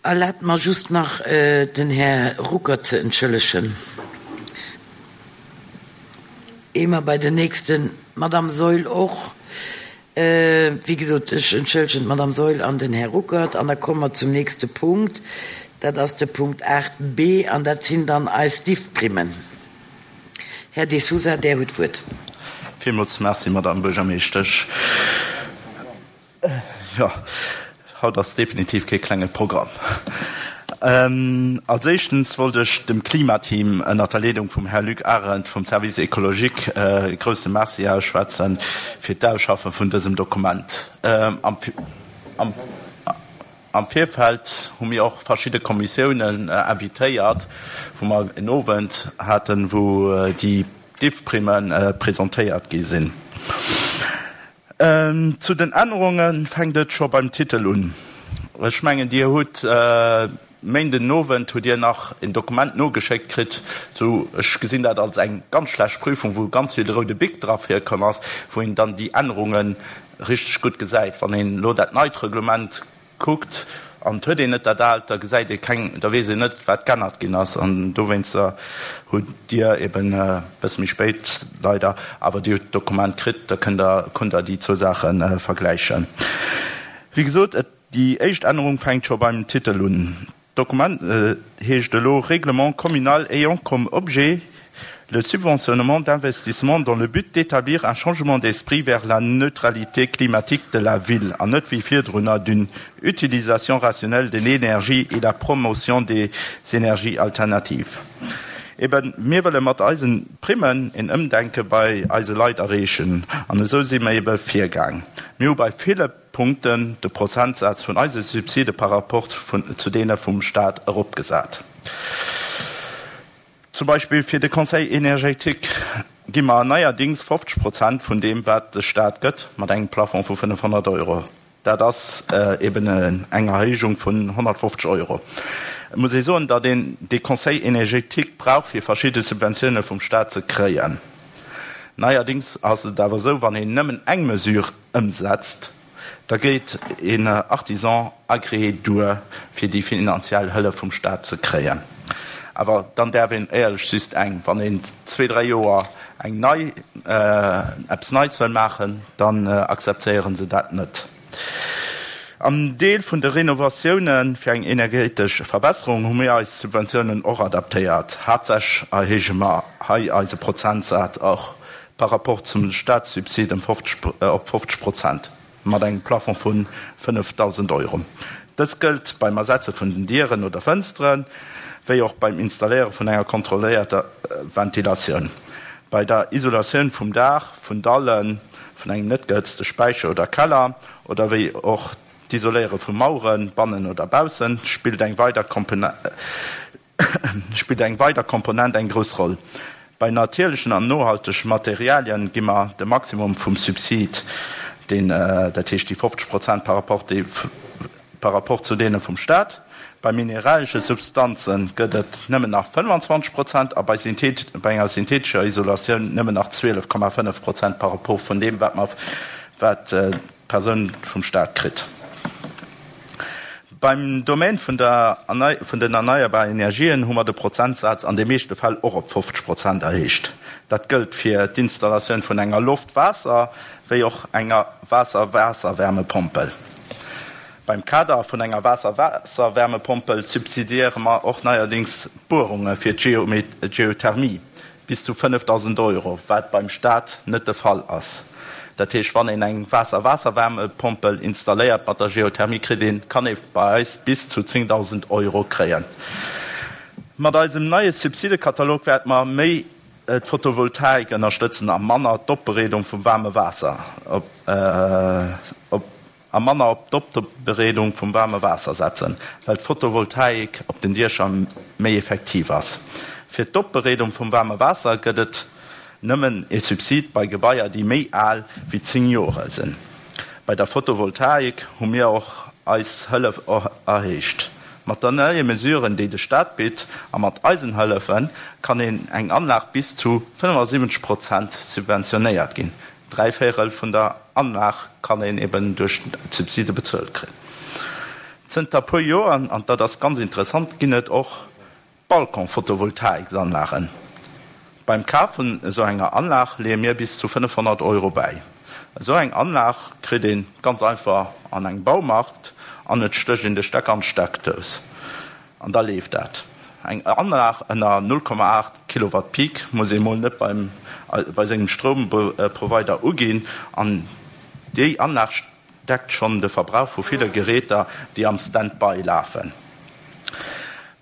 Erlaabt mer just nach, den Här Ruckert ze entschëllegen, ier mer bei den nächsten, d'Madame Saeul och. Wéi gesot, ech entschëllegen d'Madame Saeul an den Här Ruckert an da komme mer zum nächste Punkt. Dat ass de Punkt 8b an dat sinn dann eis Diffprimmen. Här De Sousa, Där hutt d'Wuert. Villmools Merci, Madame Buergermeeschtesch. Jo, haut ass definitiv kee klenge Programm. Als éischtens wollt ech dem Klimateam ënnert der Leedung vum Här Luc Arendt vum Service écologique e grousse Merci ausschwätzen fir d'Ausschaffe vun dësem Dokument. Am Virfeld hu mir och verschidde Kommissiounen invitéiert, wou mer en Owend haten, wou déi Diffprimme presentéiert gi sinn. Zu den Ännerunge fänkt et scho beim Titel un. Ech mengen, Dir hutt Méinden den Owend hutt Dir nach en Dokument nogeschéckt kritt, sou, ech gesinn dat als eng ganz schlecht Prüfung, wou ganz vill roude Bic dra virkomm ass, wou een dann déi Ännerunge richteg gutt gesäit. Wann een elo dat neit Reglement kuckt an et huet een net dat aalt, da gesäit ee keng, da weess een net, wat g'ännert ginn ass. An dowéinster hutt Dir eben e bësse méi spéit leider, awer Dir hutt d'Dokument kritt, da kënnt Der, konnt Der déi zwou Saache vergläichen. Wéi gesot, et, déi éischt Ännerung fänkt scho beim Titel un. D'Dokument heescht elo Règlement communal ayant comme objet le subventionnement d'investissements dans le but d'établir un changement d'esprit vers la neutralité climatique de la ville an net wéi virdrunner d'une utilisation rationnelle de l'énergie et la promotion des énergies alternatives. Eben, mir wëlle mat eisen Primmen een Ëmdenke bei eise Leit erreechen an esou si mer ebe virgaang. Mir hu bei ville. Punkten de Prozentsaz vun eise Subside par rapport zu deene vum Stat eropgesat. Zum Beispill fir de Conseil énergétique gi mer neierdings 50 Prozent vun deem, wat de Stat gëtt, mat engem Plafond vu 500 Euro. Dat ass eben eng Erhéijung vun 150 Euro. Et muss ee soen, datt een dee Conseil énergétique brauch, fir verschidde Subventioune vum Stat ze kréien. Neierdings ass et awer esou, wann een nëmmen eng Mesure ëmsetzt, da geet een Artisan agréé duer, fir déi finanziell Hëllef vum Staat ze kréien. Awer dann däerf een éierlech just eng. Wann een zwee, dräi Joer eng nei, eppes Neits wëll maachen, dann akzeptéiere se dat net. Am Deel vun de Renovatioune fir eng energetesch Verbesserung hu mir eis Subventiounen och adaptéiert. Haaptsächlech erhéije mer hei eise Prozentsaz och par rapport zum Staatssubsid ëm 50 op 50 Prozent, mat engem Plafond vu 5.000 Euro. Dëst gëllt beim Ersetze vun den Dieren oder Fënsteren, wéi och beim Installéiere vun enger kontrolléierter Ventilatioun. Bei der Isolatioun vum Daach, vun Dallen, vun engem net gehëtzte Späicher oder Keller oder wéi och d'Isoléiere vu Maueren, bannen oder baussen, spillt eng weider spillt eng weider Komponent eng grouss Roll. Bei natierlechen an nohaltege Materialien gi mer de Maximum vum Subsid, deen, dat heescht déi 50 Prozent par rapport déi par rapport zu deene vum Staat. Bei mineralesche Substanze gëtt et nëmmen nach 25 Prozent a bei bei enger synthetescher Isolatioun nëmmen nach 12,5 Prozent par rapport vun deem, wat mer wat d'Persoun vum Staat kritt. Beim Domaine vun der vun den erneierbaren Energien hu mer de Prozentsaz an de meeschte Fäll och op 50 Prozent erhéicht. Dat gëllt fir d'Installatioun vun enger Loft-Waasser wéi och enger Waasser-Waasser-Wärmepompel. Beim Kader vun enger Waasser-Waasser-Wärmepompel subsidiéiere mer och neierdings d'Buerunge fir d'Geothermie. Bis zu 5.000 Euro, wat beim Staat net de Fall ass. Dat heescht, wann een eng Waasser-Waasser-Wärmepompel installéiert mat der Geothermie, kritt een, kann ee bei eis bis zu 10.000 Euro kréien. Mat eisem neie Subsidekatalog wäerte mer méi d'Photovoltaik ënnerstëtzen a manner d'Opbereedung vum waarme Waasser op. A manner op d'Opbereedung vum waarme Waasser setzen, well d'Photovoltaik op den Diecher méi effektiv ass. Fir d'Opbereedung vum waarme Waasser gëtt et nëmmen ee Subsid bei Gebaier, déi méi al wéi 10 Jore sinn. Bei der Photovoltaik hu mir och eis Hëllef erhéicht. Mat der neie Mesuren, déi de Staat bitt, a mat eisen Hëllefen, kann een eng Anlag bis zu 75 Prozent subventionéiert ginn. Dräivéierel vun der Anlag kann een eben duerch d'Subside bezuelt kréien. Zënter puer Joer, an dat ass ganz interessant, ginn et och Balcon-Photovoltaiksanlagen. Beim Kaf vun esou enger Anlag leeë mir bis zu 500 Euro bäi. Esou eng Anlag kritt ee ganz einfach an engem Baumarkt an et stécht een de Stecker an d'Steckdous an da leeft dat. Eng Anlag ënner 0,8 Kilowatt Peak muss ee mol net beim bei sengem Stroumprovider uginn an déi Anlag deckt schonn de Verbrauch vu ville Geräter, déi am Stand-by lafen.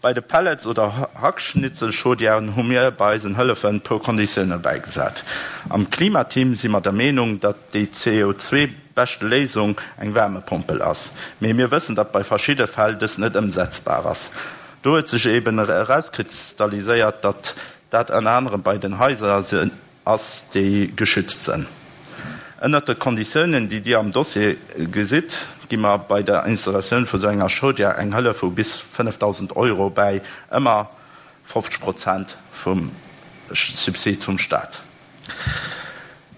Bei de Pellets oder Hackschnitzelchaudièren hu mir bei eisen Hëllefen puer Konditioune bäigesat. Am Klimateam si mer der Meenung, datt déi CO2 beschte Léisung eng Wärmepompel ass. Mee mir wëssen, datt bei verschidde Fäll dës net ëmsetzbar ass. Do huet sech eben erauskristalliséiert, datt dat ënner anerem bei den Haiser ass, déi geschützt sënn. Ënnert de Konditiounen, déi Dir am Dossier gesitt, gi mer bei der Installatioun vu sou enger Chaudière eng Hëllef vu bis 5.000 Euro bäi, ëmmer 50 Prozent vum Subsid vum Staat.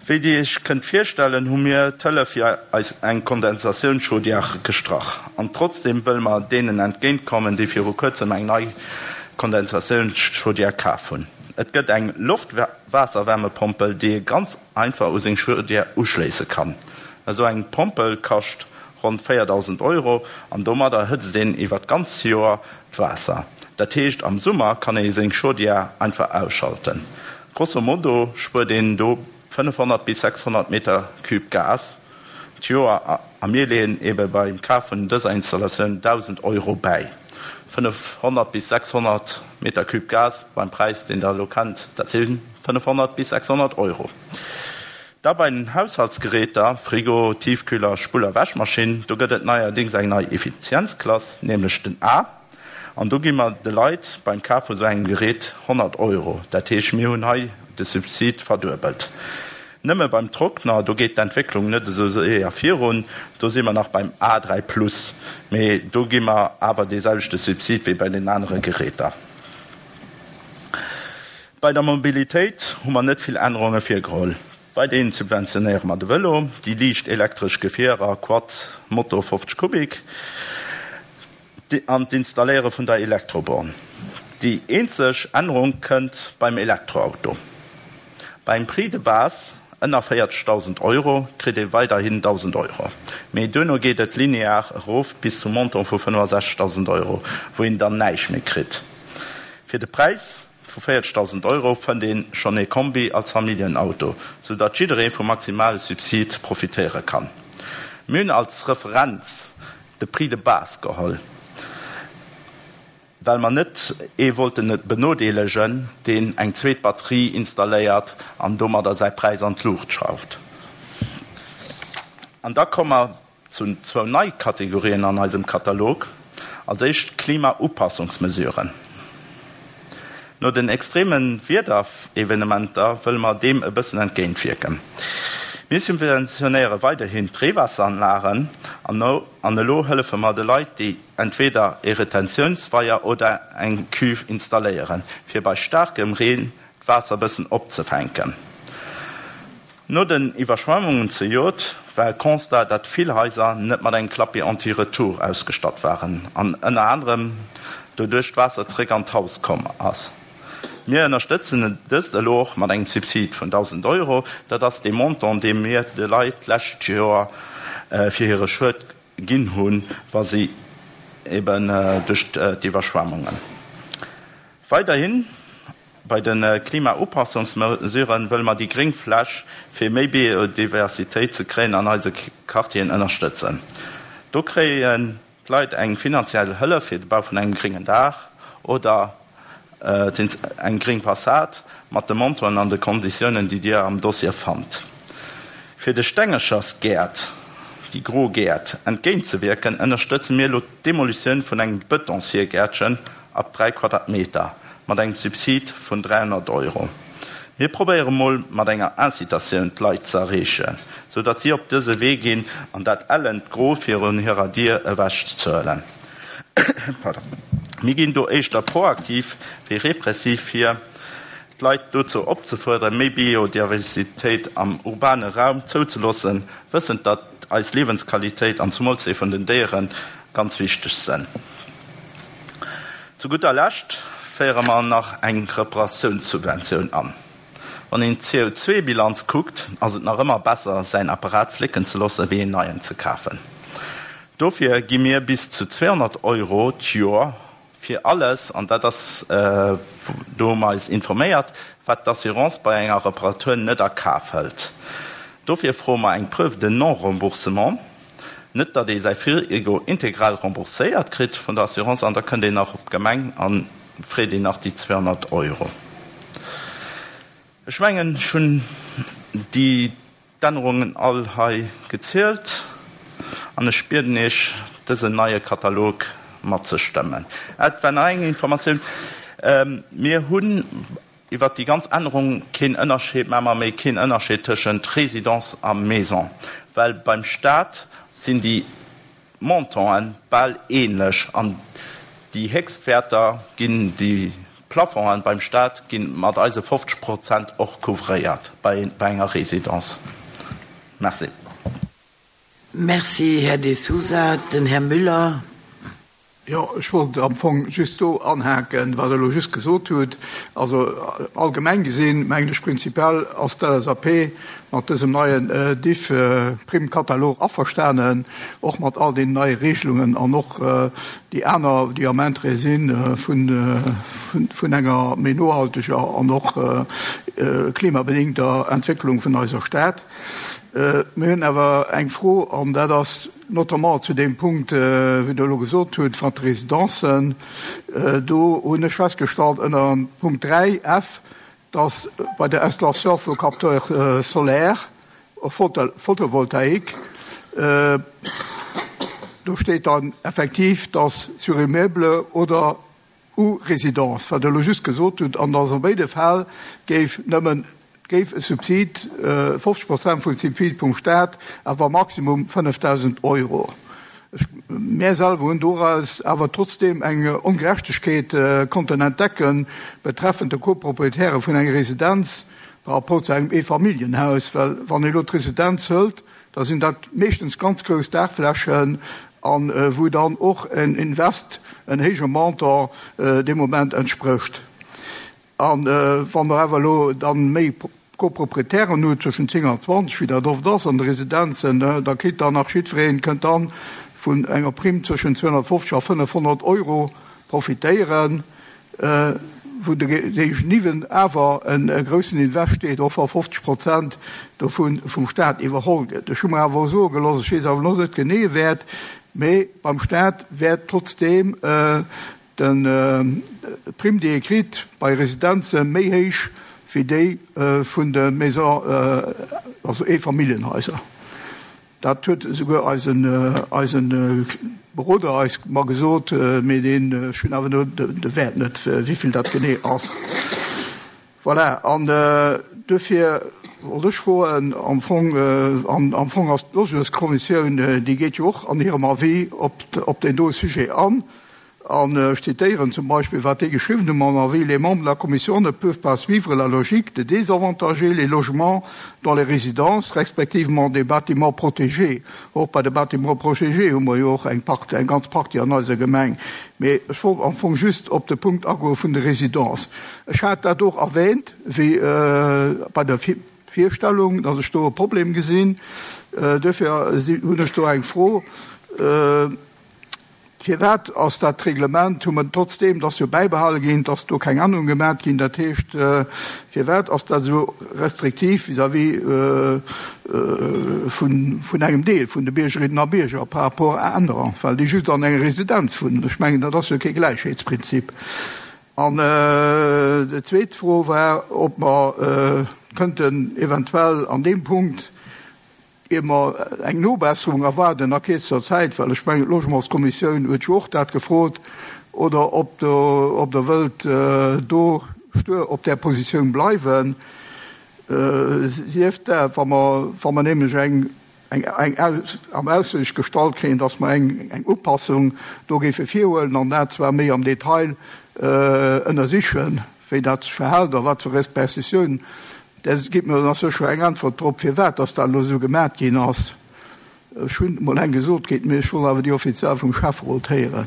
Wéi Dir Iech kënnt virstellen, hu mir d'Hëllef fir eis eng Kondensatiounschaudière gestrach. An trotzdeem wëlle mer deenen entgéintkommen, déi viru kuerzem eng nei Kondensatiounschaudière kaf hunn. Et gëtt eng Loft-Waasser-Wärmepompel, déi ee ganz einfach u seng Chaudière uschléisse kann. Esou eng Pompel kascht ronn 4.000 Euro an domadder hëtzt een iwwer d'ganz Joer d'Waasser. Dat heescht, am Summer kann ee seng Chaudière einfach ausschalten. Grosso modo spuert een do 500 bis 600 Meter Cube Gas d'Joer a mir leeën ebe beim Kaf vun dëser Installatioun 1.000 Euro bäi. 500 bis 600 Meter Cube Gas beim Präis, deen Der elo kennt, dat si 500 bis 600 Euro. Da bei den Haushaltsgeräter, Frigo, Tiefkühler, Spull a Wäschmaschinn, do gëtt et neierdéngs eng nei Effizienzklass, nämlech den A. An do gi mer de Leit beim Kaf vu sou engem Gerät 100 Euro. Dat heescht, mir hunn hei de Subsid verduebelt. Nëmme beim Trockner, do geet d'Entwécklung net esou séier virun, do si mer nach beim A3 plus, mee do gi mer awer dee selwechte Subsid wéi bei den anere Geräter. Bei der Mobilitéit hu mer net vill Ännerunge virgeholl. Weiderhin subventionéiere mer de Vëlo, déi liicht elektresch Gefierer, Quad, Moto 50 Kubik, an d'Installéiere vun der Elektroborn. Déi eenzeg Ännerung kënnt beim Elektroauto. Beim Prix de base ënner 40.000 Euro kritt ee weiderhin 1.000 Euro, mee duerno geet et linear erof bis zum Montant vu 65.000 Euro, wou een dann näischt méi kritt. Fir de Präis vu 40.000 Euro fënnt ee schonn ee Kombi als Familljenauto, sou datt jidderee vum maximale Subsid profitéiere kann. Mir hunn als Referenz de Prix de base geholl, well mer net ee wollte benodeelegen, deen eng zweet Batterie installéiert an domadder säi Präis an d'Luucht schrauft. An da komme mer zu zwou nei Kategorien an eisem Katalog. Als éischt d'Klimaupassungsmesuren. No den extreme Wiederevenementer wëlle mer deem e bëssen entgéintwierken. Mir subventionéiere weiderhin d'Reewaasseranlagen an elo hëllefe mer de Leit, déi entweder e Retentiounsweier oder eng Cuve installéieren, fir bei staarkem Reen d'Waasser bëssen opzefänken. No den Iwwerschwemmungen zejoert war e Constat, datt vill Haiser net mat engem Clapet anti-retour ausgestatt waren an ënner anerem doduerch d'Waasser zeréck an d'Haus komm ass. Mir ënnerstëtzen dëst elo och mat engem Subsid vun 1.000 Euro. Dat ass dee Montant, dee mir de Leit d'lescht Joer fir hire Schued ginn hunn, wa si eben duerch d'Iwwerschwemmungen weiderhin Bei de Klimaupassungsmesuren wëlle mer déi gréng Fläch fir méi Biodiversitéit ze kréien an eise Quartieren ënnerstëtzen. Do kréien d'Leit eng finanziell Hëllef fir de Bau vun engem gréngen Daach oder eng gréng Fassad mat de Montanten an de Konditiounen, déi Dir am Dossier fannt. Fir de Stengechersgäert, déi gro Gäert, entgéintzewierken, ënnerstëtze mir elo d'Demolitioun vun engem Betonsvirgäertchen ab 3 Quadratmeter mat engem Subsid vun 300 Euro. Mir probéiere mol mat enger Incitatioun d'Leit ze erreechen, sou datt si op dëse Wee ginn an dat ellent Gro virun hirer Dier ewech zehuelen. Mir ginn do éischter proaktiv wéi repressiv vir, d'Leit dozou opzefuerderen, méi Biodiversitéit am urbane Raum zouzeloossen, wëssend datt eis Liewensqualitéit an zumools déi vun den Déieren. ganz wichteg sënn. Zu gudder Lescht féiere mer nach eng Reparatiounssubventioun an. Wann een d'CO2-Bilanz kuckt, ass et nach ëmmer besser, säin Apparat flécken ze loossen, wéi een neien ze kafen. Dofir gi mir bis zu 200 Euro d'Joer fir alles, an dat ass, do hu mer eis informéiert, wat d'Assurance bei enger Reparatur net a Kaf hëlt. Dofir froe mer eng Preuve de non-remboursement, net datt ee säi Frigo integral rembourséiert kritt vun der Assurance, an da kënnt een nach op d'Gemeng a freet een nach déi 200 Euro. Ech mengen, ech hunn déi d'Ännerungen all hei gezielt an ech bieden Iech, dësen neie Katalog matzestëmmen. Et war nach eng Informatioun, Mir hunn iwwert déi ganz Ännerung keen Ënnerscheed, maache mer méi keen Ënnerscheed tëschent Résidence a Maison, well beim Stat sinn déi Montanten bal ähnlech an déi Héchstwäerter ginn, déi Plafongen beim Staat gi mat eise 50 Prozent och couvréiert bei enger Résidence. Merci. Merci, Här De Sousa. Den Här Müller. Jo, ech wollt am Fong just do anhaken, wat Der elo just gesot hutt. Also allgemeng gesinn, mengen ech, prinzipiell ass d'LSAP mat dësem neien DIF-Primmkatalog averstanen, och mat all deenen neie Regelungen an och déi aner, déi am Interêt si vun enger méi nohalteger an och klimabedingter Entwécklung vun eiser Stad. Mir hunn awer eng Fro, an dat ass notamment zu deem Punkt, wéi Der elo gesot hutt, mat de Residencen. Do hunn ech festgestallt ënner Punkt 3, F, dass bei der Installation vu Capteurs solaires photovoltaïques, do steet dann effektiv, dass sur immeuble oder ou résidence, wat Der elo just gesot hutt, an dass a béide Fäll géif nëmmen, géif e Subsid, 50 Prozent vum Subsid vum Stat, awer maximum 5.000 Euro. Ech, mär selwer hunn doraus awer trotzdeem eng Ongerechtegkeet konnten entdecken, betreffend de Coproprietäre vun enger Residenz par rapport zu engem Eefamilljenhaus, well wann ee elo d'Residenz hëlt, da sinn dat meeschtens ganz grouss Daachflächen a wou dann och en Invest en héije Montant dee Moment entsprécht. A wa mer awer elo dann méi Coproprietären hunn, zwëschen 10 an 20, wéi dat oft ass an de Residenzen, da kritt dann nach jiddwereen, kënnt dann vun enger Primm zwëschen 250 a 500 Euro profitéieren. wou de Géigeniwwen awer e groussen Invest steet, och wa 50 Prozent dovu vum Staat iwwerholl gëtt. Ech hu mer awer och soe gelooss, ech weess awer elo net genee Wäert, mee beim Staat wäert trotzdeem d'Primm, déi ee kritt bei Residenze méi héich wéi déi vun de Maisons, also Eefamilljenhaiser. Dat huet esouguer eisen, eisen Beroder eis mer gesot, mee deen, ech hunn awer elo de Wäert net, wéivill dat genee ass. Voilà, an duerfir wollt ech froen, am Fong, an am Fong ass d'Logementskommissioun, déi geet jo och an hirem Avis op, op deen doe Sujet an, An ech zitéieren zum Beispill, wat déi geschriwwen hunn am Avis, Les membres de la commission ne peuvent pas suivre la logique de désavantager les logements dans les résidences, respectivement des bâtiments protégés. Och bei de Bâtiments protégés hu mer jo och eng Part, eng ganz Partie an eiser Gemeng. Mee ech wollt am Fong just op de Punkt agoe vun de Résidences. Ech hat dat och erwähnt, wéi bei der Virstellung, dass ech do e Problem gesinn. Duerfir hunn ech do eng Fro. Firwat ass dat Reglement, hu mer trotzdeem, dat ass jo bäibehale ginn, dass do keng Ännerung gemat ginn, dat heescht, firwat ass dat esou restriktiv vis-à-vis vun engem Deel vun de Biergerinnen a Bierger par rapport à anerer, well déi just an enger Residenz wunnen? Ech mengen, dat ass jo kee Gläichheetsprinzip. An déi zweet Fro war, ob mer kënnten eventuell an deem Punkt, Ier mer eng Nobesserung erwaarden a kierzester Zäit, well ech mengen, d'Logementskommissioun huet jo och dat gefrot, oder ob Der wëllt do stuer op där Positioun bleiwen, sief dat, wa mer, wa mer nämlech eng, eng am Aussicht gestallt kréien, dass mer eng, eng Upassung do géife virhuelen an dat zwar méi am Detail ënnersichen, wéi dat sech verhält a wat fir Repercussiounen Där gitt mir dann sécher eng Äntwert drop, firwat dass dat elo esou gemat ginn ass. Ech hunn emol eng gesot kritt, mee ech wollt awer déi offiziell vum Schäfferot héieren.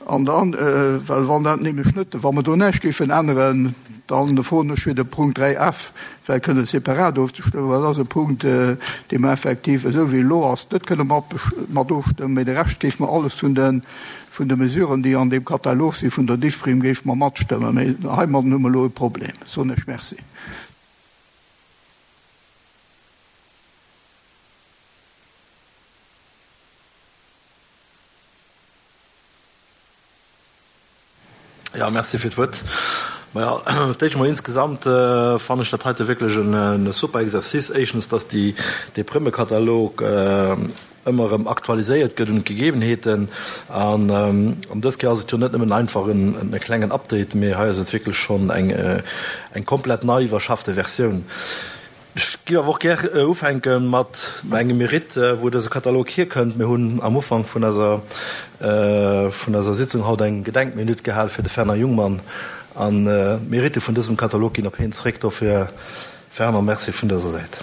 An dann, well wann dat nämlech net, wa mer do näischt géifen änneren, da froen ech fir de Punkt 3 F vläicht kënne separat ofzestëmmen, well dat ass e Punkt, dee mer effektiv, esou wéi e elo ass, net kënne mat ofstëmmen, mee de Rescht géife mer alles vun de, vun de Mesuren, déi an deem Katalog si vun der Diffprim, géife mer matstëmmen. Mee heimadden hu mer elo e Problem. Soen ech Merci. Jo, merci fir d'Wuert. Majo, fir d'éischt emol insgesamt fannen ech dat heite wierklech e super Exercice. Éischtens, dass déi, dee Prëmmekatalog ëmmer erëm aktualiséiert gëtt un d'Gegebenheeten. An dës Kéier ass et jo net nëmmen einfach en klengen Update, mee hei ass et wierklech schonn eng, eng komplett nei iwwerschaffte Versioun. Ech géif awer och gär ufänke mat engem Mérite, wou dëse Katalog hierkënnt. Mir hunn am Ufank vun eiser, vun eiser Sitzung haut eng Gedenkminutt gehal fir de Fernand Jungmann. An d'Mérite vun dësem Katalog ginn op hien zréck. Dofir, Fernand, Merci vun dëser Säit.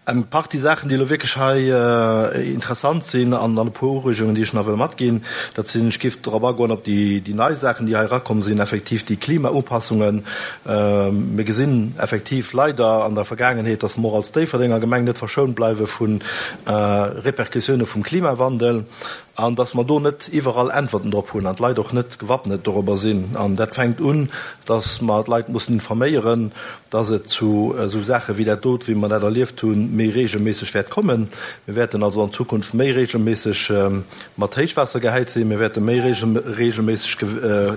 Eng Partie Saachen, déi elo wierklech hei interessant sinn an dann e puer Ureegungen, déi ech nach wëll matginn, dat sinn, ech géif drop agoen op déi nei Saachen, déi hei erakomm sinn, effektiv déi Klimaupassungen. Mir gesinn effektiv leider an der Vergaangenheet, dass mer och als Déifferdenger Gemeng net verschount bleiwe vu Répercussioune vum Klimawandel an dass mer do net iwwerall Äntwerten drop hunn an d'Leit och net gewappnet dorobber sinn. An dat fänkt un, dass mer d'Leit mussen informéieren, dass et zu esou Saache wéi dat dot, wéi mer dat erlieft hunn, méi regelméisseg wäert kommen. Mir wäerten also an Zukunft méi regelméisseg mat Héichwaasser gehäit sinn, mir wäerte méi regelméisseg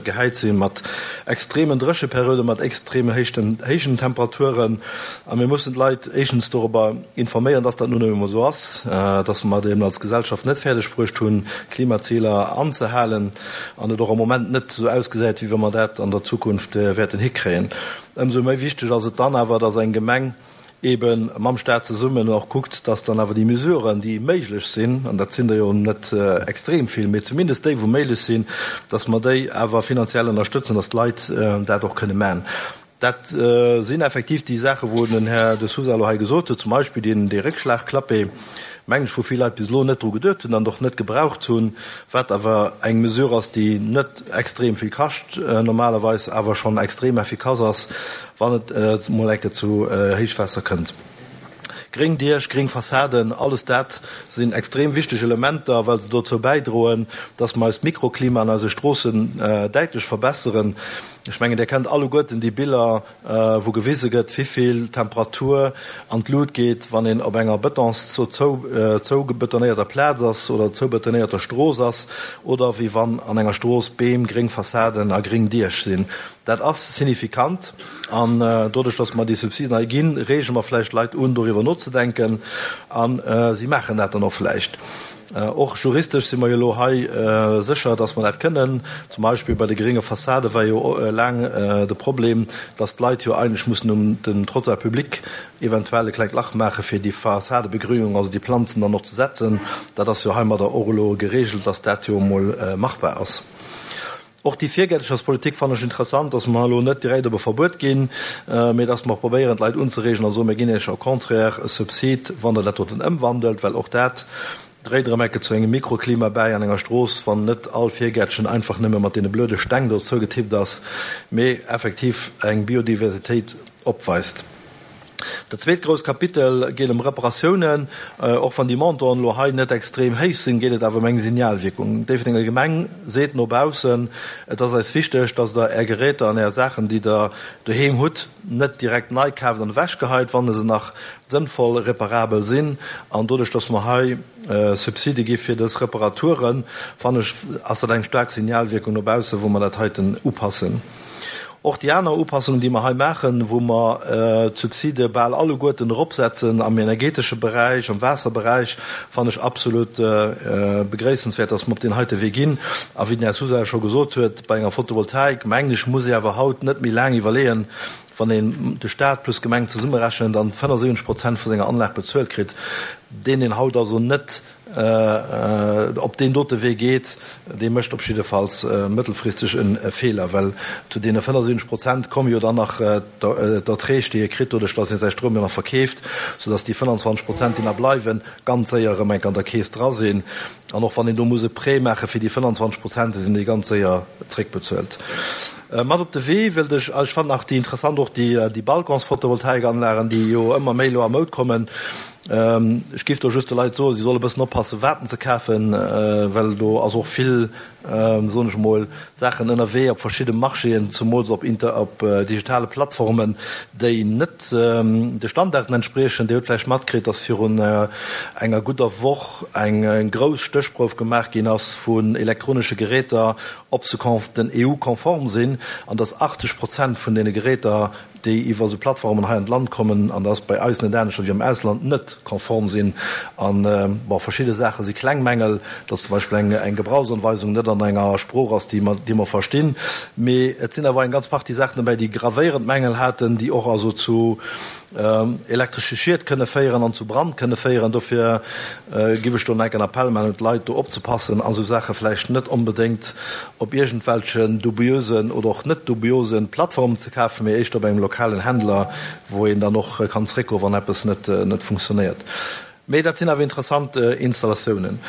gehäit si mat extremen Drécheperioden, mat extreme héijen Temperaturen. A mir mussen d'Leit éischtens dorobber informéieren, dass dat nun emol esou ass, dass mer et eben als Gesellschaft net fäerdeg bruecht hunn, d'Klimaziler anzehalen an et och am Moment net esou ausgesäit, wéi wa mer dat an der Zukunft wäerten hikréien. Ëmsou méi wichteg ass et dann awer, dass eng Gemeng ebe mam Stat zesummen och kuckt, dass dann awer déi Mesuren, déi méiglech sinn, an dat sinn der jo net extrem vill, mee zumindest déi, wou méiglech sinn, dass mer déi awer finanziell ënnerstëtzen, dass d'Leit dat och kënne maachen. Dat sinn effektiv déi Saachen, wou den Här De Sousa elo hei gesot huet, zum Beispill deen, dee Réckschlagklappé, mengen ech, wou vill Leit bis elo net dru geduet hunn an och net gebraucht hunn, wat awer eng Mesure ass, déi net extrem vill kascht normalerweis, awer schonn extrem effikass ass, wann et emol eng Kéier zu Héichwaasser kënnt. Gréng Diech, gréng Fassaden, alles dat sinn extrem wichteg Elementer, well se dozou bäidroen, dass mer eist Mikroklima an eise Stroossen däitlech verbesseren. Ech mengen, Dir kennt alleguerten déi Biller, wou gewise gëtt, wivill d'Temperatur an d'Lut geet, wann een op enger Betons zoubetonéierter Plaz ass oder zoubetonéierter Strooss ass, oder wéi wann an enger Strooss Beem, gréng Fassaden a gréng Diech sinn. Dat ass signifikant. An doduerch, dass mer déi Subsiden hei ginn, reege mer vläicht d'Leit un, doriwwer nozedenken. A si maachen dat dann och vläicht. Och juristesch si mer jo elo hei sécher, dass mer dat kënnen. Zum Beispill bei de grénge Fassade war jo laang de Problem, dass d'Leit jo eigentlech mussen um dem Trottoir public eventuell e klengt Lach maache fir déi Fassadebegrüngung, also déi Planzen dann och ze setzen. Dat ass jo heimadder och elo geregelt, dass dat jo emol machbar ass. Och déi Virgäertecherspolitik fannen ech interessant, dass mer elo net direkt op e Verbuet ginn, mee dass mer probéieren d'Leit unzereegen a soen, mir ginn Iech au contraire e Subsid, wann Der dat doten ëmwandelt, well och dat dréit erëm ecke zu engem Mikroklima bäi an enger Strooss, wann net all Virgäertchen einfach nëmme mat deene blöde Steng do zougetippt ass, mee effektiv eng Biodiversitéit opweist. Dat zweet grousst Kapitel geet ëm Reparatiounen. Och wann déi Montanten elo hei net extrem héich sinn, geet et awer ëm eng Signalwierkung. D'Déifferdenger Gemeng seet no baussen, Et ass eis wichteg, dass Der Är Geräter an Är Saachen, déi Der doheem hutt, net direkt nei kaaft an ewechgeheit, wann se nach sënnvoll reparabel sinn. An doduerch, dass mer hei Subside gi fir dës Reparaturen, fannen ech, ass dat eng staark Signalwierkung no baussen, wou mer dat heiten upassen. Och déi aner Upassungen, déi mer hei maachen, wou mer d'Subside bal alleguerten eropsetzen am energetesche Beräich, am Waasserberäich, fannen ech absolut begréissenswäert, dass mer op deen heite Wee ginn. A wéi den Här Sousa scho gesot huet, bei enger Photovoltaik, mengen ech, muss ee awer haut net méi laang iwwerleeën, wann een de Stat plus d'Gemeng zesummerechent an 75 Prozent vu senger Anlag bezuelt kritt, deen een haut also net. op deen dote Wee geet, dee mécht op jiddefalls mëttelfristeg e Feeler, well zu deene 75 Prozent komme jo dann nach d'Erträg, déi e kritt doduerch, datt ee säi Stroum jo nach verkeeft, soudatt déi 25 Prozent, déi nach bleiwen, ganz séier erëm enk an der Keess dra sinn. An och wann een do muss e Prêt maache fir déi 25 Prozent, da sinn déi ganz séier zréckbezuelt. Mat op de Wee wëllt ech, ech fannen nach déi interessant och déi Balcons-Photovoltaikanlagen, déi jo ëmmer méi elo a Moud kommen. Ech géif do just de Leit soen, si solle bëssen oppassen, wat se kafen, well do ass och vill, soen ech emol, Saachen ënnerwee op verschidde Marchéen, zemools op op digitale Plattformen, déi net de Standarden entspriechen. Dir hutt vläicht matkritt, dass virun enger gudder Woch eng grouss Stéchprouf gemaach ginn ass vun elektronesche Geräter, ob se den EU-konform sinn, an dass 80 Prozent vun deene Geräter, déi iwwer esou Plattformen hei an d'Land kommen, an dat ass bei eis net anescht wéi am Ausland, net konform sinn. An, bon, verschidde Saache si kleng Mängel, dass zum Beispill eng eng Gebrauchsanweisung net an enger Sprooch ass, déi mer déi mer verstinn. Mee et sinn awer eng ganz Partie Saachen dobäi, déi gravéierend Mängel haten, déi och also zu elektresche Schied kënne féieren an zu Brand kënne féieren. Dofir giff ech do nach enk en Appell maachen un d'Leit, do opzepassen a sou Saache vläicht net onbedéngt op iergendwelchen dubiösen oder och net dubiosen Plattformen ze kafen, mee éischter op engem lokalen Händler, wou een dann och kann zréckgoen, wann eppes net net funktionéiert. Mee dat sinn awer interessant Installatiounen.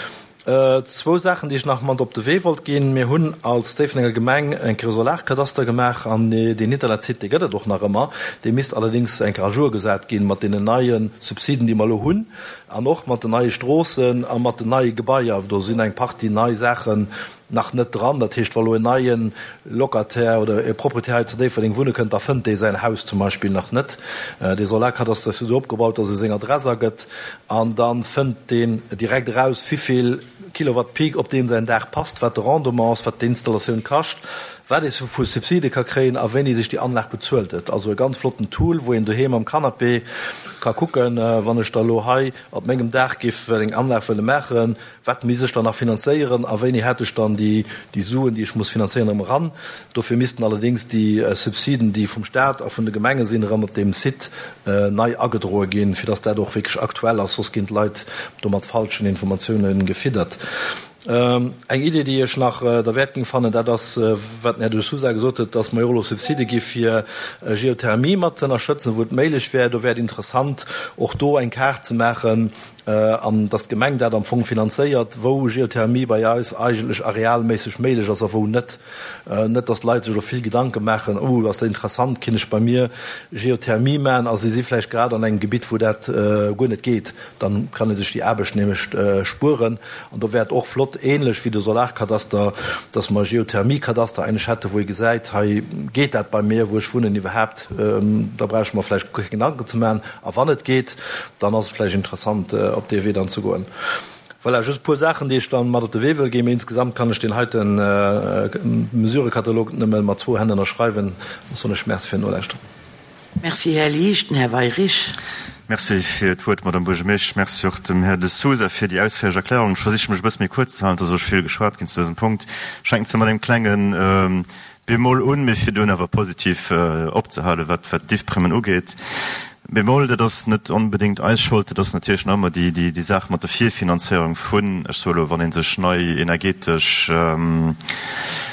Zwou Saachen, déi ech nach mat op de Wee wollt ginn. Mir hunn als Déifferdenger Gemeng eng Kéier e Solarkadaster gemaach an deen Internetsite, dee gëtt et och nach ëmmer. Dee misst allerdéngs eng Kéier à jour gesat ginn mat deenen neie Subsiden, déi mer elo hunn an och mat den neie Stroossen a mat den neie Gebaier. Do sinn eng Partie nei Saachen nach net dran. Dat heescht, wa lo en neie Locataire oder e Proprietär hei zu Déifferdeng wunne kënnt, da fënnt dee säin Haus zum Beispill nach net. Dee Solarkadaster ass jo esou opgebaut, dass e seng Adress agëtt an da fënnt deen direkt eraus, wivill Kilowatt Peak op deem säin Daach passt, wat de Rendement ass, wat d'Installatioun kascht, wat ee vu Subside ka kréien a wéini sech déi Anlag bezuelt huet. Also e ganz flotten Tool, wou een doheem am Canapé ka kucken, wann ech da lo hei op mengem Daach géif eng Anlag wëlle maachen, Wat misst ech dann nach finanzéieren a wéini hätt ech dann déi Suen, déi ech muss finanzéieren, erëm eran? Dofir missten allerdéngs déi Subsiden, déi vum Stat a vun de Gemenge sinn, erëm op deem Site nei agedroe ginn, fir dass dat och wierklech aktuell ass, soss ginn d'Leit do mat falschen Informatioune gefiddert. Eng Idee, déi ech nach derwäert géing fannen, dat ass, wat den Här De Sousa gesot huet, dass mer jo och elo Subside gi fir Geothermie mat ze ënnerstëtzen, wou et méiglech wär. Do wär et interessant, och do eng Kaart ze maachen, an dass d'Gemeng dat am Fong finanzéiert, wou Geothermie bei eis eigentlech arealméisseg méiglech ass a wou net. Net dass d'Leit sech elo vill Gedanke maachen, oh ass dat interessant, kinn ech bei mir Geothermie maachen, a si si vläicht grad an engem Gebitt, wou dat guer net geet. Dann kann ee sech déi Aarbecht nämlech spueren. An do wär et och flott, ähnlech wéi de Solarkadaster, dass mer e Geothermiekadaster eigentlech hätten, wou ee gesäit, hei geet dat bei mir, wou ech wunnen, iwwerhaapt, da brauch ech mer vläicht guer keng Gedanken ze maachen. A wann et geet, dann ass et vläicht interessant, op dee Wee dann ze goen. Voilà, just e puer Saachen, déi ech dann mat op de Wee wëll ginn. Mee insgesamt kann ech deen heite Mesurekatalog nëmme mat zwou Hänn ënnerschreiwen. Da soen ech Merci fir d'Nolauschteren. Merci, Här Liesch. Den Här Weyrich. Merci fir d'Wuert, Madame Buergermeesch. Merci och dem Här De Sousa fir déi ausféierlech Erklärung. Ech versiche mech e bësse méi kuerz ze halen, et ass och vill geschwat ginn zu dësem Punkt. Ech fänken zwar mat engem klengen Bémol un, mee fir dunn awer positiv opzehalen, wat d'Diffprimmen ugeet. Bémol, dat ass net onbedéngt eis Schold, dat ass natierlech nach ëmmer déi Saach mat der Virfinanzéierung vun, ech soe elo, wann ee sech nei energetesch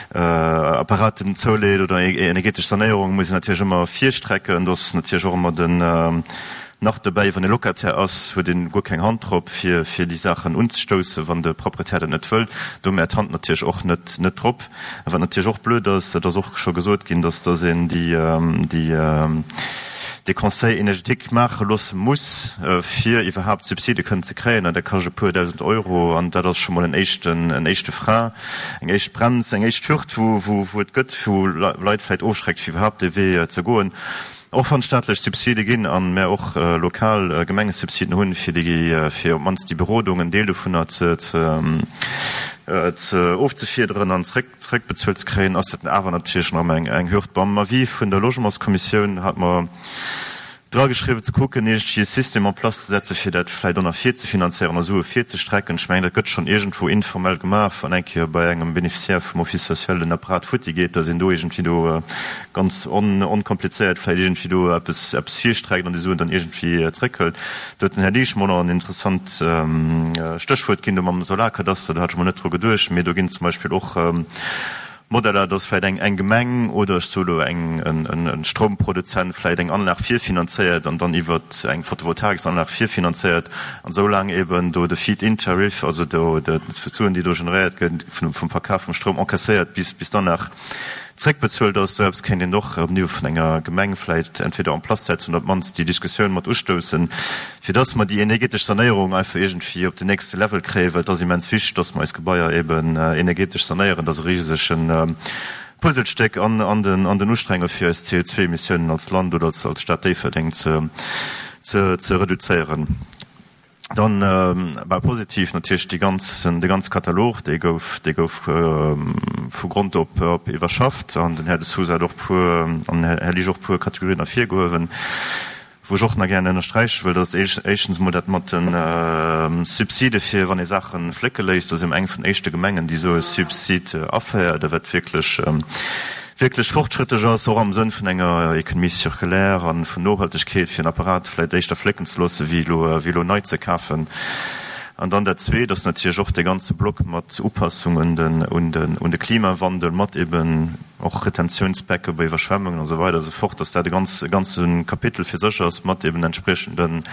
Apparaten zouleet oder energetesch Sanéierung, muss een natierlech ëmmer virstrecken. Do ass natierlech och ëmmer den nach dobäi, wann ee Locataire ass, huet een guer keng Hand drop, fir déi Saachen unzestoussen, wann de Proprietär dat net wëll. Do hu mär d'Hand natierlech och net drop. A wat natierlech och blöd ass, dat ass och scho gesot ginn, dass dass een déi, déi, dee Conseil énergétique maache loosse muss, fir iwwerhaapt Subside kënnen ze kréien. An dat kascht e puer dausend Euro. An dat ass scho mol en éischten, en éischte Frein, eng éischt Brems, eng éischt Hürd, wou, wou, wou et gëtt, wou Leit vläicht ofschreckt, fir iwwerhaapt dee Wee ze goen. Och wann et staatlech Subside ginn a mär och lokal Gemengesubsiden hunn, fir déi, fir op d'mannst déi Berodung, en Deel dovunner ze, ze ofzefiederen an zréck, zréckbezuelt ze kréien, ass dat awer natierlech nach ëmmer eng, eng Hürd. Beim Avis vun der Logementskommissioun hate mer. Drageschriwwen, ze kucken, iergendwéi e System en place ze setzen, fir dat vläicht och nach virzefinanzéieren a Sue virzestrecken. Ech mengen, dat gëtt schonn iergendwou informell gemaach, wann eng Kéier bei engem Bénéficiaire vum Office social den Apparat futti geet, datt een do iergendwéi do ganz onkomplizéiert vläicht iergendwéi do eppes, eppes virstreckt an déi Suen dann iergendwéi zréckhëlt. Do huet den Här Liesch mol nach en interessant Stéchwuert ginn, do mam Solarkadaster, do hat ech mol net dru geduecht, mee do ginn zum Beispill och, Modeller, dass vläicht eng eng Gemeng oder ech soe elo eng en Stroumproduzent vläicht eng Anlag virfinanzéiert an dann iwwer eng Photovoltaiksanlag virfinanzéiert an esou laang eben do de Feed-in-Tariff, also do d'Suen, déi do generéiert gëtt vum Verkaf vum Stroum, encaisséiert bis bis d'Anlag zréckbezuelt ass. Esou eppes kéint een och um Niveau vun enger Gemeng vläicht entweder en place setzen oder op d'mannst déi Diskussioun mat ustoussen, fir dass mer déi energetesch Sanéierung einfach iergendwéi op den nächste Level kréien, well et ass immens wichteg, dass mer eis Gebaier eben energetesch sanéieren. Dat ass e risege Puzzlestéck an an den Ustrenge fir eis CO2-Emissiounen als Land oder als Stad Déifferdeng ze ze reduzéieren. Dann war positiv natierlech déi ganz de ganze Katalog, dee gouf dee gouf vu Grond op op iwwerschafft an den Här De Sousa hat och puer an den Här Liesch och puer Kategorien ervirgehuewen. Wou ech och nach gären ënnersträiche wëll, dat ass éischtens emol dat mat de Subside fir wann ee Saache flécke léisst. Do si mer eng vun den éischte Gemengen, déi esou e Subsid aféiert, a wat wierklech, wierklech fortschrëttlech ass, och am Sënn vun enger Économie circulaire a vun Nohaltegkeet, fir en Apparat vläicht éischter flécken ze loosse wéi elo, wéi elo nei ze kafen. An dann dat Zweet ass natierlech och dee ganze Block mat Upassung un den, un den, un de Klimawandel, mat eben, och Retentiounsbecke bei Iwwerschwemmungen a sou weider a sou fort, dass dat e ganz, e ganze Kapitel fir sech ass mat eben entspriechende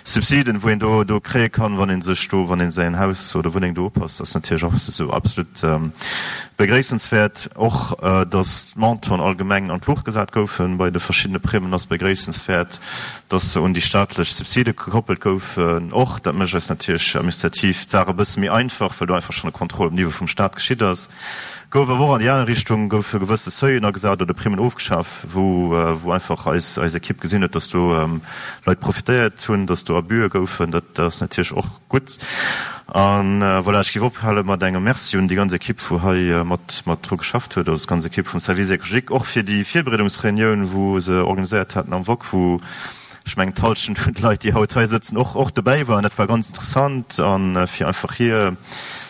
Subsiden, wou een do, do kréie kann, wann ee sech do, wann ee säin Haus oder Wunneng do upasst. Dat ass natierlech och esou absolut begréissenswäert. Och dass d'Montanten allgemeng an d'Luucht gesat goufe bei de verschiddene Primmen, ass begréissenswäert, dass se un déi staatlech Subside gekoppelt goufen. Och dat mécht eis natierlech administrativ d'Saach e bësse méi einfach, well do einfach schonn e Contrôle um Niveau vum Stat geschitt ass. Gouf awer och an déi aner Richtung, goufe gewësse Seuilen agesat oder Primmen ofgeschaf, wou wou einfach eis eis Equipe gesinn huet, dass do Leit profitéiert hunn, dass do Abüe goufen. Dat ass natierlech och gutt. A voilà, ech géif ophale mat engem Merci un déi ganz Equipe, wou hei mat mat dru geschafft huet, also d'ganz Equipe vum Service écologique, och fir déi Virbereedungsreunioun, wou se organiséiert haten am Wok, wou ech mengen d'Hallschent vun de Leit, déi haut hei sëtzen, och och dobäi waren. Dat war ganz interessant a fir einfach hir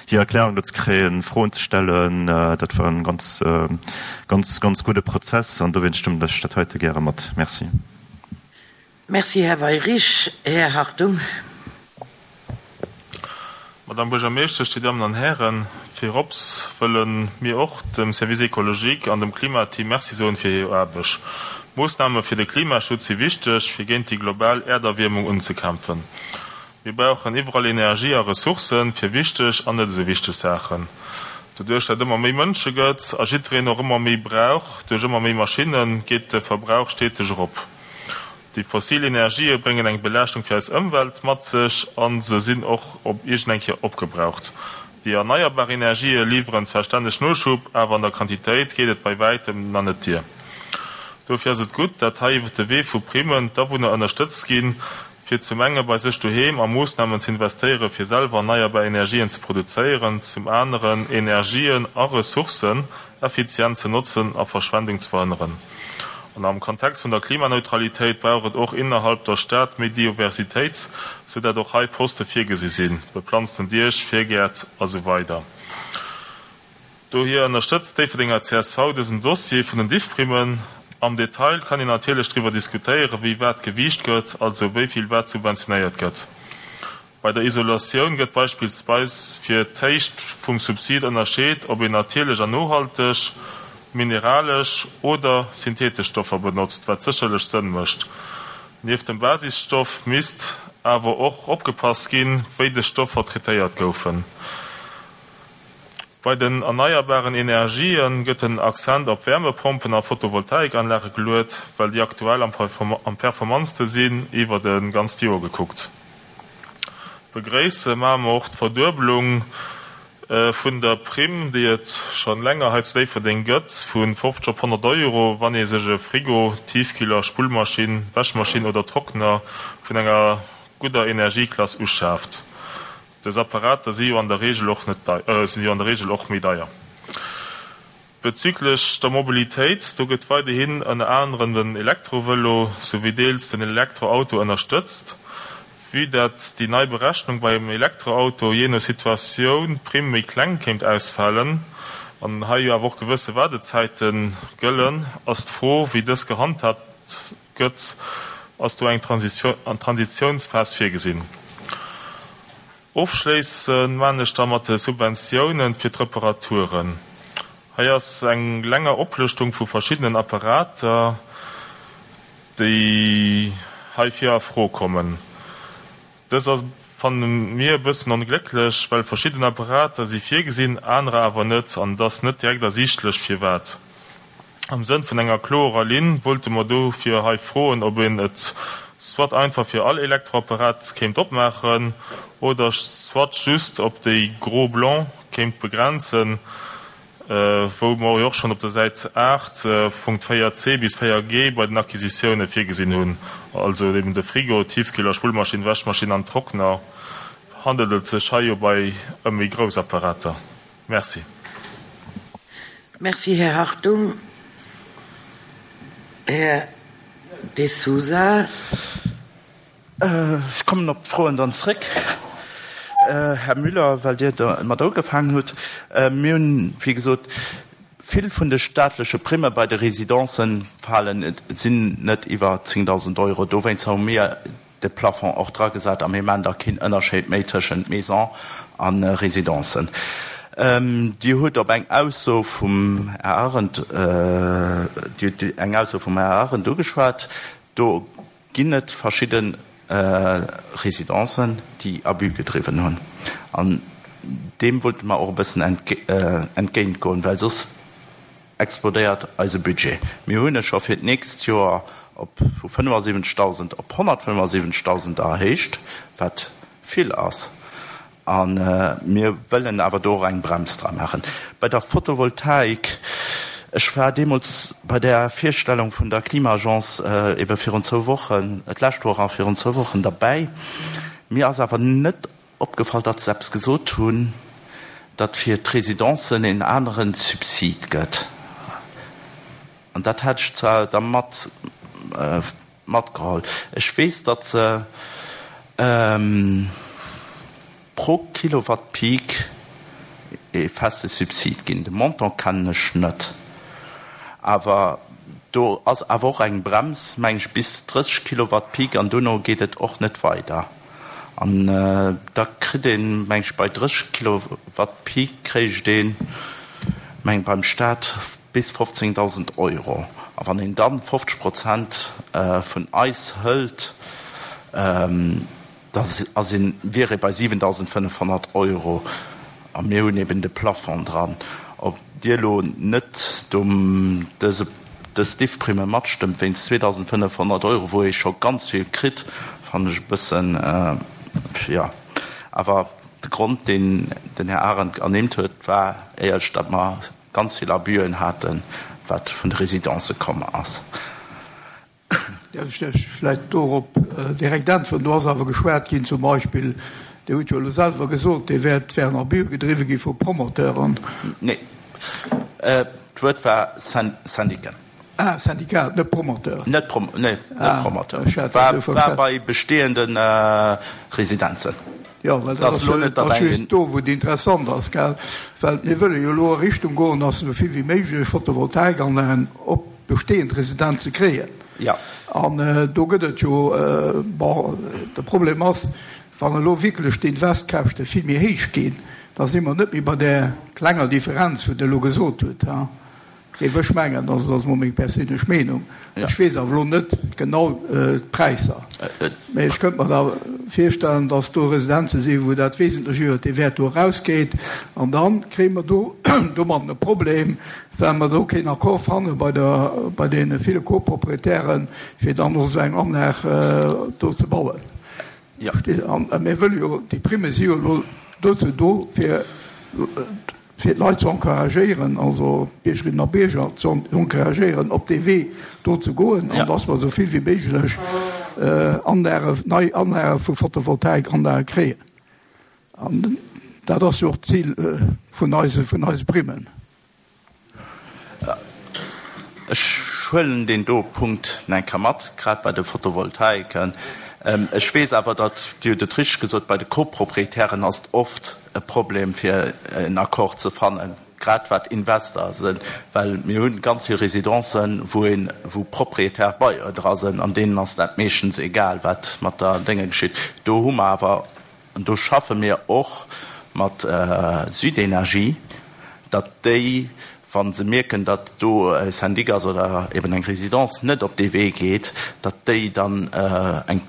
hir Erklärung do ze kréien, Froen ze stellen, dat war e ganz ganz ganz gudde Prozess an dowéinst stëmmen ech dat heite gäre mat. Merci. Merci, Här Weyrich. Här Hartung. Madame Buergermeeschtesch, Dir Dammen an Hären, virops wëlle mir och dem Service écologique an dem Klimateam Merci soen fir hir Aarbecht. Moossname fir de Klimaschutz si wichteg, fir géint déi global Äerderwiermung unzekämpfen. Mir brauchen iwwerall Energie a Ressourcen fir wichteg an net esou wichteg Saachen. Doduerch dat ëmmer méi Mënsche gëtt a jiddereen och ëmmer méi brauch, duerch ëmmer méi Maschinnen, geet de Verbrauch steteg erop. Déi fossil Energië bréngen eng Belaaschtung fir eis Ëmwelt mat sech a se sinn och op iergend eng Kéier opgebraucht. Déi erneierbar Energië liwweren zwar stänneg Noschub, awer an der Quantitéit geet et bei wäitem nach net dier. Dofir ass et gutt, dat hei iwwer de Wee vu Primmen d'Awunner ënnerstëtzt ginn, fir zum enge bei sech doheem a Moossnamen ze investéieren, fir selwer erneierbar Energien ze produzéieren, zum aneren Energien a Ressourcen effizient ze notzen a Verschwendung ze verhënneren. An am Kontext vun der Klimaneutralitéit brauch et och innerhalb der Stad méi Dioversitéit, sou dat och hei Poste virgesi sinn, beplanzten Diech, Virgäert a sou weider. Dohier ënnerstëtzt d'Déifferdenger csv dësen Dossier vun den Diffprimmen. Am Detail kann een natierlech driwwer diskutéieren, wéi wat gewiicht gëtt, also wéi vill wat subventionéiert gëtt. Bei der Isolatioun gëtt beispillsweis fir d'Héicht vum Subsid ënnerscheet, ob een natierlech an nohalteg, mineralesch oder synthetesch Stoffer benotzt, wat sécherlech Sënn mécht. Nieft dem Basisstoff misst awer och opgepasst ginn, wéi des Stoffer traitéiert goufen. Bei den erneierbaren Energië gëtt den Accent op Wärmepompen a Photovoltaikanlage geluet, well déi aktuell am performantste sinn iwwert e ganzt Joer gekuckt. Begréisse maache mer och d'Verduebelung vun der Primm, déi et scho länger hei zu Déifferdeng gëtt, vu 50 op 100 Euro, wann ee sech e Frigo, Tiefkühler, Spullmaschinn, Wäschmaschinn oder Trockner vun enger gudder Energieklass uschaaft. Dës Apparater si jo an der Reegel och net, sinn jo an der Reegel och méi deier. Bezüglech der Mobilitéit, do gëtt weiderhin ënner anerem den Elektrovëlo souwéi deels den Elektroauto ënnerstëtzt. Vue dat déi nei Berechnung beim Elektroauto jee no Situatioun d'Primm méi kleng kéint ausfalen an hei jo awer och gewësse Waardezäite gëllen, ass d'Fro wéi dës gehandhaabt gëtt. Ass do eng Transitiounsphas virgesinn? Ofschléissen maan ech da mat de Subventiounen fir d'Reparaturen. Hei ass eng länger Oplëschtung vu verschiddenen Apparater, déi heifir a Fro kommen. Dës ass, fannen mir, e bëssen onglécklech, well verschidden Apparater si virgesinn, anerer awer net, an et ass net direkt ersiichtlech firwat. Am Sënn vun enger kloerer Linn wollte mer dofir hei froen, ob een et soit einfach fir all Elektroapparat kéint opmaachen oder soit just op déi gros blancs kéint begrenzen, wou mer jo och schonn op der Säit 8, Punkt 4 c bis 4 g bei den Acquisitioune virgesinn hunn, also eben de Frigo, Tiefkühler, Spullmaschinn, Wäschmaschinn an Trockner, handelt et sech hei jo bei ëm méi grouss Apparater. Merci. Merci, Här Hartung. Här De Sousa. Ech kommen op d'Froen dann zréck, Här Müller, well Dir domat ugefaangen hutt. Mir hunn, wéi gesot, vill vun de staatleche Primme bei de Residencen falen, sinn net iwwer 10.000 Euro. Dowéinst hu mir de Plafond och dragesat a mir maachen da keen Ënnerscheed méi tëschent Maison a Residencen. Dir hutt op eng Ausso vum Här Arendt, Dir hutt eng Ausso vum Här Arendt ugeschwat, do ginn et verschidde Residencen, déi Abus gedriwwen hunn an deem wollte mer och e bëssen entgéintgoen, well soss explodéiert eise Budget. Mir hunn e scho fir d'nächst Joer op vu 75.000 op 175.000 erhéicht, wat vill ass. A mir wëllen awer do och eng Brems dra maachen. Bei der Photovoltaik, ech war deemools bei där Virstellung vun der Klima-Agence ebe virun zwou Wochen, d'lescht Woch a virun zwou Wochen derbäi. Mir ass awer net Opgefall, datt se eppes gesot hunn, datt fir d'Residencen een anere Subsid gëtt. An dat hat ech zwar da mat matgeholl. Ech weess, datt se pro Kilowatt Peak ee feste Subsid ginn. De Montant kennen ech net. Awer do ass awer och eng Brems, meng ech, bis 30 Kilowatt Peak an dono geet et och net weider. An da kritt een, meng ech, bei 30 Kilowatt Peak kréicht een, meng beim Staat bis 15.000 Euro. A wann een dann 50 Prozent vun eis hëlt, da ass een, wier ee bei 7.500 Euro. A mir hunn eben de Plafond dran. Ob Dir elo net do dëse, dës Diffprime matstëmmt wéinst 2.500 Euro, wou ee scho ganz vill kritt, fannen ech e bëssen, jo. Awer de Grond, deen den Här Arendt ernimmt huet, war éierlech, datt mer ganz vill Abüen haten, wat vun de Residencë komm ass. Däerf ech lech vläicht dorop direkt äntweren? Do ass awer geschwat ginn, zum Beispill, Dir hutt jo elo selwer gesot, dee Wäert wär en Abus gedriwwe gi vu Promoteuren. Nee, d'Wuert war Syndiken. Ah, Syndikat, net Promoteur. Net nee, net Promoteur. War bei bestehende Residenzen. Jo, well dat ass jo net just do, wou et interessant ass, gell? Well mir wëlle jo elo a Richtung goen, dass esou vill wéi méiglech Photovoltaikanlagen op bestehend Residenze kréien. An do gëtt et jo, bon, de Problem ass, wann elo wierklech d'Investkäschte vill méi héich ginn, da si mer net méi bei där klenger Differenz, wou Der elo gesot hutt. Géif ech mengen, also dat ass mol meng perséinlech Meenung, ech weess awer elo net genau d'Präisser, mä ech kënnt mer da virstellen, datt do Residenze sinn, wou dat wesentlech iwwert dee Wäert do erausgeet. An da kréie mer do domatten e Problem, well mer do keen Accord fanne bei der, bei deene ville Coproprietären, fir dann och esou eng Anlag do ze bauen. A mir wëlle jo, déi Primme si jo elo dozou do, fir fir d'Leit ze encouragéieren, also d'Biergerinnen a Bierger ze encouragéieren, op dee Wee do ze goen, an dass mer esou vill wéi méiglech Anlagen, nei Anlage vu Photovoltaikanlage kréien. An dat ass jo och d'Zil vun eise, vun eise Primmen. Ech huelen deen do Punkt nach eng Kéier mat, grad bei de Photovoltaiken. Ech weess awer, datt, Dir hutt et richteg gesot, bei de Copropriétairen ass et oft e Problem fir en Accord ze fannen, grad wat Investor sinn, well mir hu ganz vill Residencen, wou een, wou Propriétaire Bailleur dra sinn, an deenen ass dat meeschtens egal, wat mat der Dénge geschitt. Do hu mer awer, an do schaffe mir och mat Südenergie, datt déi, wa se mierken, datt do e Syndic ass oder eben eng Résidence net op dee Wee geet, datt déi dann eng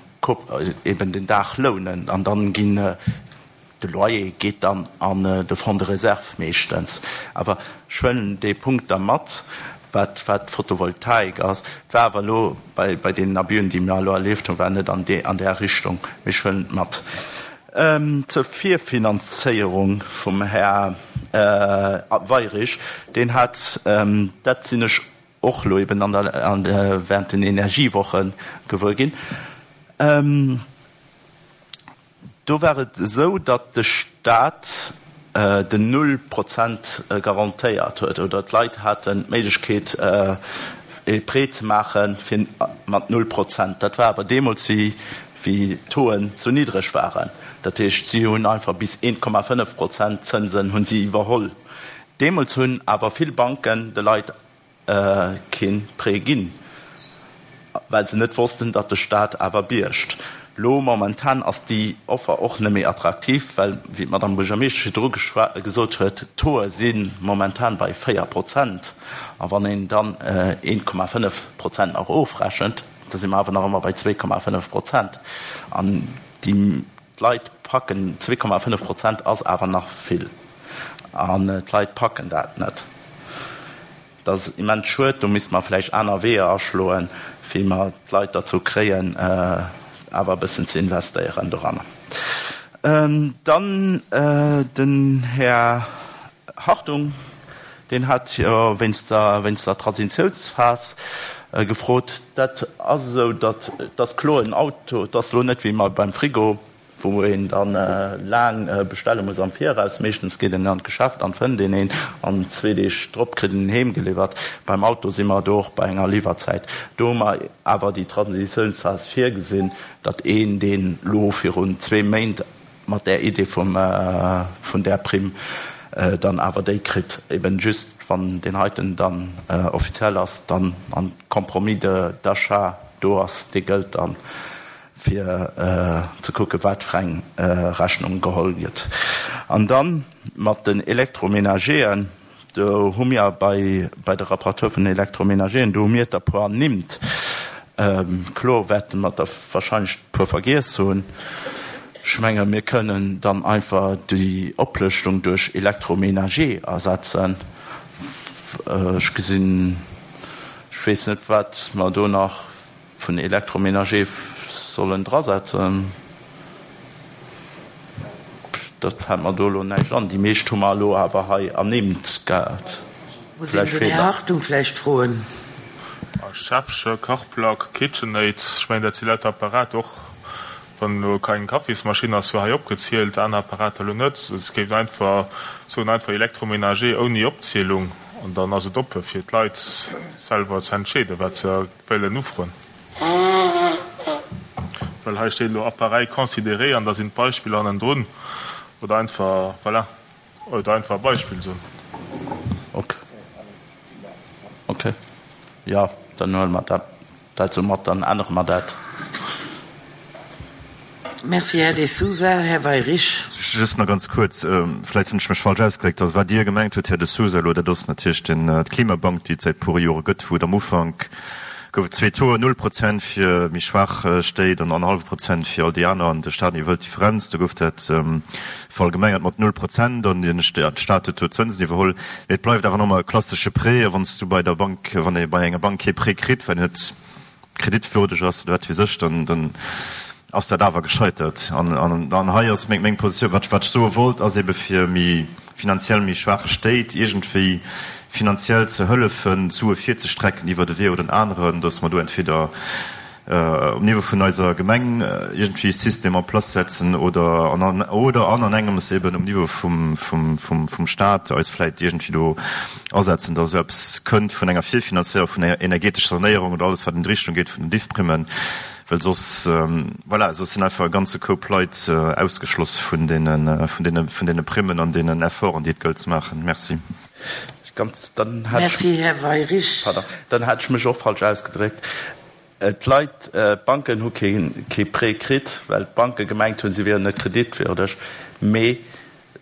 eben den Daach lounen an dann ginn de Loyer geet dann an de Fonds de réserve meeschtens. Awer ech huelen dee Punkt da mat, wat wat d'Photovoltaik ass. Et war awer elo bei bei deenen Abüen, déi mir elo erlieft hunn, war net an dee an där Richtung. Mee ech huelen et mat. Zur Virfinanzéierung vum Här Weirich, deen hat, dat sinn ech och elo eben an der während den Energiewoche gewuer ginn, Do war et esou, datt de Stat den Null Prozent garantéiert huet, oder d'Leit haten d'Méiglechkeet e Prêt ze maache fir mat Null Prozent. Dat war awer deemools, wéi d'Tauxen sou niddreg waren. Dat heescht, si hunn einfach bis 1,5 Prozent Zënsen hunn si iwwerholl. Deemools hunn awer vill Banken de Leit keen Prêt ginn, well se net wossten, datt de Staat awer biergt. Lo momentan ass déi Offer och net méi attraktiv, well, wéi d'Madame Buergermeeschtesch virdru gesot huet, d'Tauxe si momentan bei 4 Prozent. A wann een dann 1,5 Prozent nach ofrechent, da si mer awer nach ëmmer bei 2,5 Prozent. An déi Leit packen, 2,5 Prozent ass awer nach vill, an d'Leit packen dat net. Dat ass immens schued. Do misste mer vläicht aner Weeër aschloen, wéi mer d'Leit derzou kréien, awer e bëssen ze investéieren doranner. Dann den Här Hartung, deen hat jo wéinst der, wéinst der Transitiounsphas gefrot. Dat ass esou, datt, et ass kloer, en Auto, et ass elo net wéi beim Frigo, wou een dann laang bestelle muss am Viraus. Meeschtens geet een an d'Geschäft an fënnt een een an zwee Deeg drop kritt een en heem geliwwert. Beim Auto si mer do och bei enger Liwwerzäit. Do hu mer awer déi Transitiounsphas virgesinn, datt een, deen elo virun zwee Méint mat där Idee vum vun där Primm dann awer déi kritt, eben just wann deen heiten dann offiziell ass, dann an Compromis d'achat do ass, dee gëllt dann. fir ze kucken, wat fir eng Rechnung geholl gëtt. An da mat den Électroménageren, do hu mir bei bei de Rapporteur vun den Électroménageren, do hu mir der e puer ernimmt. Kloer wäerte mer der wahrscheinlech e puer vergiess hunn. Ech menge mir kënnen dann einfach déi Oplëschtung duerch Électroménager ersetzen. Ech gesinn, ech weess net, wat mer do nach Vun Électroménager sollen drasetzen. Dat fält mer do elo näischt an. Déi meescht hu mer elo awer hei ernimmt gehat. Muss een den Här Hartung vläicht froen. Schäffche, Kachplack, KitchenAid, ech mengen dat si lauter Apparater, och wann elo keng Kaffismaschinn ass, jo hei opgezielt, aner Apparater elo net. Ech géif einfach soen, einfach Électroménager ouni Opzielung an dann ass et oppe fir d'Leit selwer ze entscheeden, wat se Wëllen ufroen. Well hei steet elo Appareil considéré an da sinn d'Beispiller hannendrun. Oder einfach, voilà, oder einfach e Beispill soen. Ok. Ok. Jo, dann huele mer dat dat esou mat, dann ännere mer dat. Merci, Här De Sousa. Här Weyrich. Just nach ganz kuerz, vläicht hunn ech mech falsch ausgedréckt. Also wat Dir gemengt hutt, Här De Sousa, elo, dat ass natierlech den, d'Klimabank, déi et säit puere Jore gëtt, wou et am Ufank gouf et zwee Tauxen, null Prozent fir méi schwaach Stéit an annerhallwe Prozent fir all déi aner, an de Stat iwwerhëlt d'Differenz. Do gouf dat verallgemengert mat null Prozent an de Stat huet do d'Zënsen iwwerholl. Mee et bleift awer nach ëmmer e klassesche Prêt. A wann s du bei der Bank, wann ee bei enger Bank kee Prêt kritt, well en net kreditwürdeg ass oder wat weess ech, dann, dann ass dat awer gescheitert. An, an, an hei ass meng, meng Positioun, wat ech, wat ech soe wollt, ass ebe fir méi finanziell méi schwaache Stéit iergendwéi finanziell ze hëllefen, d'Sue virzestrecken iwwert e Wee oder en aneren, dass mer do entweder. Um Niveau vun eiser Gemeng iergendwéi e System en place setzen oder an oder an an engems eben um Niveau vum vum vum vum Stat eis vläit iergendwéi do asetzen, datt esou eppes kënnt vun enger Virfinanzéierung vun enger energetescher Sanéierung oder alles wat an déi Richtung geet vun den Diffprimmen, well soss, voilà, soss sinn einfach e ganze Koup Leit ausgeschloss vun deene vun deene vun deene Primmen an deenen Efforten, déi et gëllt ze maachen. Merci. Ganz, dann hat ech, Merci, Här Weyrich. pardon, dann hat ech mech och falsch ausgedréckt. D'Leit, d'Banken hu kee Prêt kritt, well d'Banke gemengt hunn, si wieren net kreditwürdeg. Mee,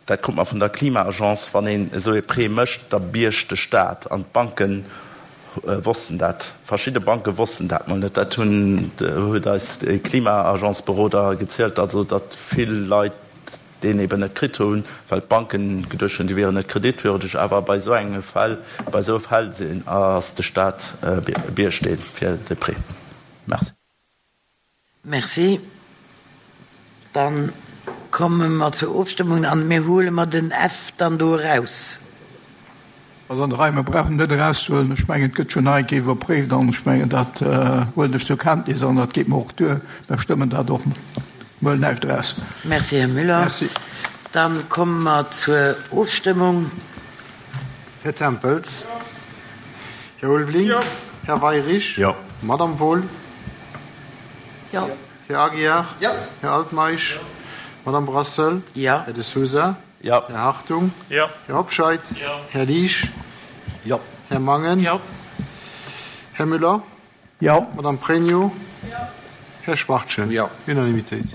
dat krut mer vun der Klima-Agence, wann een esou ee Prêt mécht, da biergt de Staat. An d'Banke wossten dat, verschidde Banke wossten dat mol net. Dat hunn, huet eis e Klima-Agence-Beroder gezielt, also datt vill Leit deen eben net kritt hunn, well d'Banken geduecht hunn, déi wieren net kreditwürdeg. Awer bei esou engem Fall, bei esou Fäll sinn, ass de Stat Biergsteen fir de Prêt. Merci. Merci. Da komme mer zur Ofstëmmung an mir huele mer den F dann do eraus. Also an der Rei, mer brauchen en net erauszehuelen. Ech mengen, et gëtt schonn nach eng Kéier iwwerpréift an ech mengen, dat huelen ech zur Kenntnis an dat geet mer och duer. Mer stëmmen dat och. Mer huelen näischt eraus. Merci, Här Müller. Merci. Da komme mer zur Ofstëmmung. Här Tempels. Här Ulveling. Jo. Här Weyrich. Jo. Madame Wohl. Jo. Här Aguiar. Jo. Här Altmeisch. Jo. Madame Brassel. Jo. Här De Sousa. Jo. Här Hartung. Jo. Här Hobscheit. Jo. Här Liesch. Jo. Här Mangen. Jo. Här Müller. Jo. Madame Pregno. Jo. Här Schwachtgen. Jo. Unanimitéit.